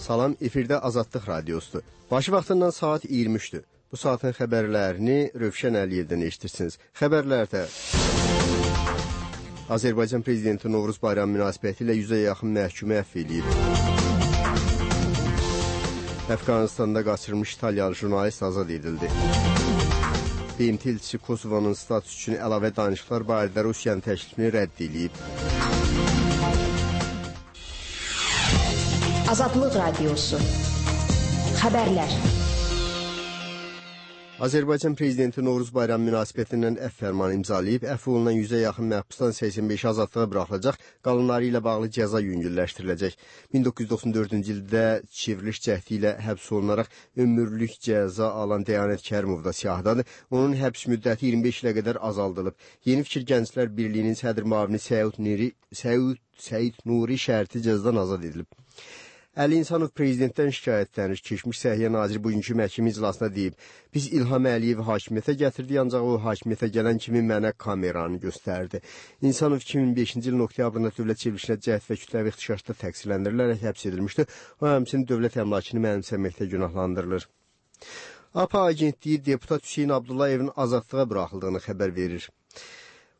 Salam, efirdə Azadlıq Radiosudur. Başı vaxtından saat 23-dür. Bu saatın xəbərlərini Rövşən Əliyevdən eşitirsiniz. Xəbərlərdə Azərbaycan Prezidenti Novruz Bayramı münasibəti ilə 100-ə yaxın məhkumu əfv edilib. Əfqanistanda qaçırılmış İtalyalı jurnalist azad edildi. BMT elçisi Kosovanın status üçün əlavə danışıqlar barədə Rusiyanın təklifini rədd edib. Azadlıq Radiosu. Xəbərlər. Azərbaycan Prezidenti Novruz Bayramı münasibətindən əfv fərmanı imzalayıb, əfv olunan 100-ə yaxın məhbusdan 85 azadlığa buraxılacaq, qalanları ilə bağlı cəza yüngülləşdiriləcək. 1994-cü ildə çevriliş cəhdi ilə həbs olunaraq ömürlük cəza alan Dəyanət Kərimov da siyahıdadır. Onun həbs müddəti 25 ilə qədər azaldılıb. Yeni Fikir Gənclər Birliyinin sədr müavini Səid Nuri şərti cəzadan azad edilib. Əli İnsanov prezidentdən şikayətlənir. Keçmiş Səhiyyə Naziri bugünkü məhkəmə iclasında deyib, biz İlham Əliyevi hakimiyyətə gətirdik, ancaq o hakimiyyətə gələn kimi mənə kameranı göstərdi. İnsanov 2005-ci ilin oktyabrında dövlət çevrilişinə cəhd və kütləvi ixtişaşda təqsirləndirilərək həbs edilmişdi. O həmçinin dövlət əmlakını mənimsəməkdə günahlandırılır. APA agentliyi deputat Hüseyin Abdullayevin azadlığa buraxıldığını xəbər verir.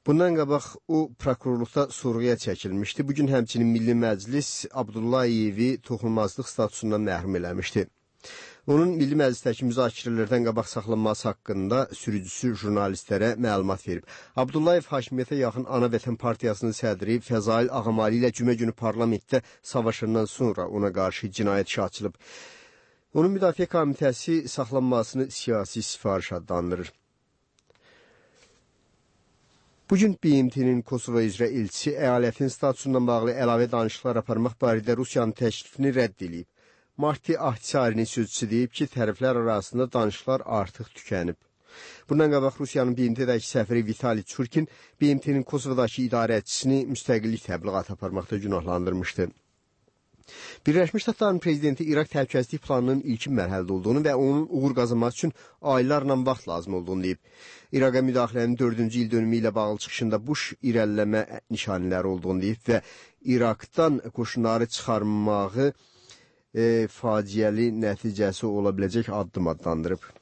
Bundan qabaq o prokurorluqda sorğuya çəkilmişdi. Bugün həmçinin Milli Məclis Abdullayevi toxunulmazlıq statusundan məhrum eləmişdi. Onun Milli Məclisdəki müzakirələrdən qabaq saxlanması haqqında sürücüsü jurnalistlərə məlumat verib. Abdullayev hakimiyyətə yaxın Ana Vətən Partiyasının sədri Fəzail Ağamali ilə cümə günü parlamentdə savaşından sonra ona qarşı cinayət işi açılıb. Onun Müdafiə Komitəsi saxlanmasını siyasi sifariş adlandırır. Bugün BMT-nin Kosova üzrə elçisi əyalətin statusundan bağlı əlavə danışıqlar aparmaq barədə Rusiyanın təklifini rədd edib. Marti Ahtisarinin sözçüsü deyib ki, tərəflər arasında danışıqlar artıq tükənib. Bundan qabaq Rusiyanın BMT-dəki səfiri Vitali Çurkin BMT-nin Kosovadakı idarəçisini müstəqillik təbliğatı aparmaqda günahlandırmışdı. Birləşmiş Ştatların prezidenti İraq təhlükəsizlik planının ilkin mərhələdə olduğunu və onun uğur qazanması üçün aylarla vaxt lazım olduğunu deyib. İraqa müdaxilənin 4-cü il dönümü ilə bağlı çıxışında Bush irəliləmə nişanələri olduğunu deyib və İraqdan qoşunları çıxarmağı faciəli nəticəsi ola biləcək addım adlandırıb.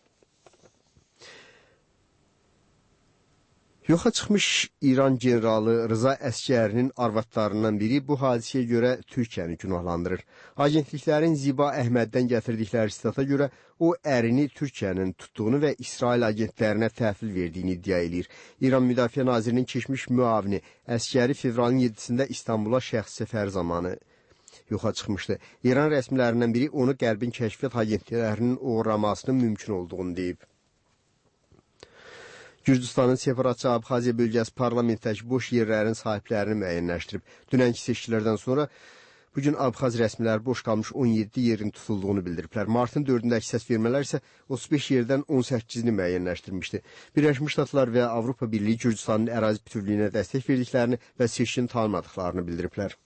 Yoxa çıxmış İran generalı Rıza Əskərinin arvadlarından biri bu hadisəyə görə Türkiyəni günahlandırır. Agentliklərin Ziba Əhməddən gətirdikləri istata görə o ərini Türkiyənin tutduğunu və İsrail agentlərinə təhvil verdiyini iddia edir. İran Müdafiə Nazirinin keçmiş müavini Əskəri fevralın 7-sində İstanbula şəxsi səfər zamanı yoxa çıxmışdı. İran rəsmilərindən biri onu Qərbin kəşfiyyat agentliklərinin uğramasının mümkün olduğunu deyib. Gürcüstanın separatçı Abxaziya bölgəsi parlamentdəki boş yerlərin sahiblərini müəyyənləşdirib. Dünənki seçkilərdən sonra bugün Abxaz rəsmiləri boş qalmış 17 yerin tutulduğunu bildiriblər. Martın 4-dəki səs vermələr isə 35 yerdən 18-ni müəyyənləşdirmişdi. Birləşmiş Ştatlar və Avropa Birliyi Gürcüstanın ərazi bütövlüyünə dəstək verdiklərini və seçkini tanımadıqlarını bildiriblər.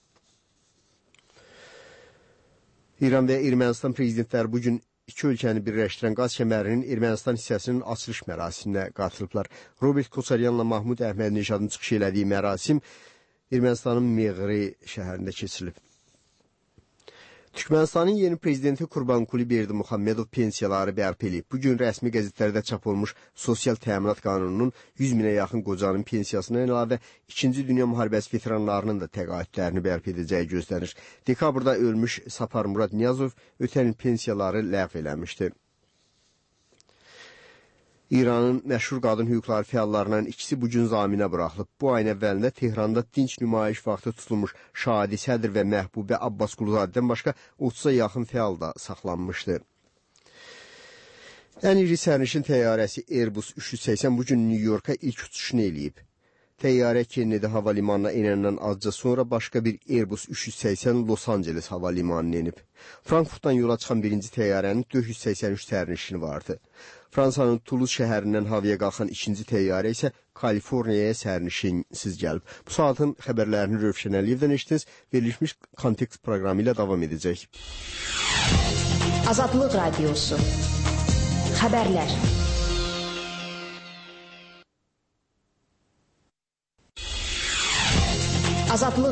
İran və Ermənistan prezidentləri bugün İki ölkəni birləşdirən qaz kəmərinin Ermənistan hissəsinin açılış mərasiminə qatılıblar. Robert Koçaryanla Mahmud Əhmədinejadın çıxış elədiyi mərasim Ermənistanın Meğri şəhərində keçirilib. Türkmenistanın yeni prezidenti Qurbanquli Berdimuhamedov pensiyaları bərpa edib. Bugün rəsmi qəzetlərdə çap olmuş sosial təminat qanununun 100 minə yaxın qocanın pensiyasından əlavə 2-ci Dünya müharibəsi veteranlarının da təqaüdlərini bərpa edəcəyi gözlənir. Dekabrda ölmüş Sapar Murad Niyazov ötən il pensiyaları ləğv eləmişdi. İranın məşhur qadın hüquqları fəallarından ikisi bugün zaminə buraxılıb. Bu ayın əvvəlində Tehranda dinç nümayiş vaxtı tutulmuş Şadi Sədr və Məhbubə Abbas Quluzadədən başqa 30-a yaxın fəal da saxlanmışdı. Ən iri sərnişin təyyarəsi Airbus 380 bugün New Yorka ilk uçuşunu eləyib. Təyyarə Kennedy hava limanına enəndən azca sonra başqa bir Airbus 380 Los Angeles hava limanına enib. Frankfurtdan yola çıxan birinci təyyarənin 483 sərnişini vardı. Fransanın Toulouse şəhərindən havaya qalxan ikinci təyyarə isə Kaliforniyaya sərnişinsiz gəlib. Bu saatın xəbərlərini Rövşən Əliyevdən eşitdiniz. Verilmiş kontekst proqramı ilə davam edəcək. Azadlıq Radiosu. Xəbərlər. Azadlıq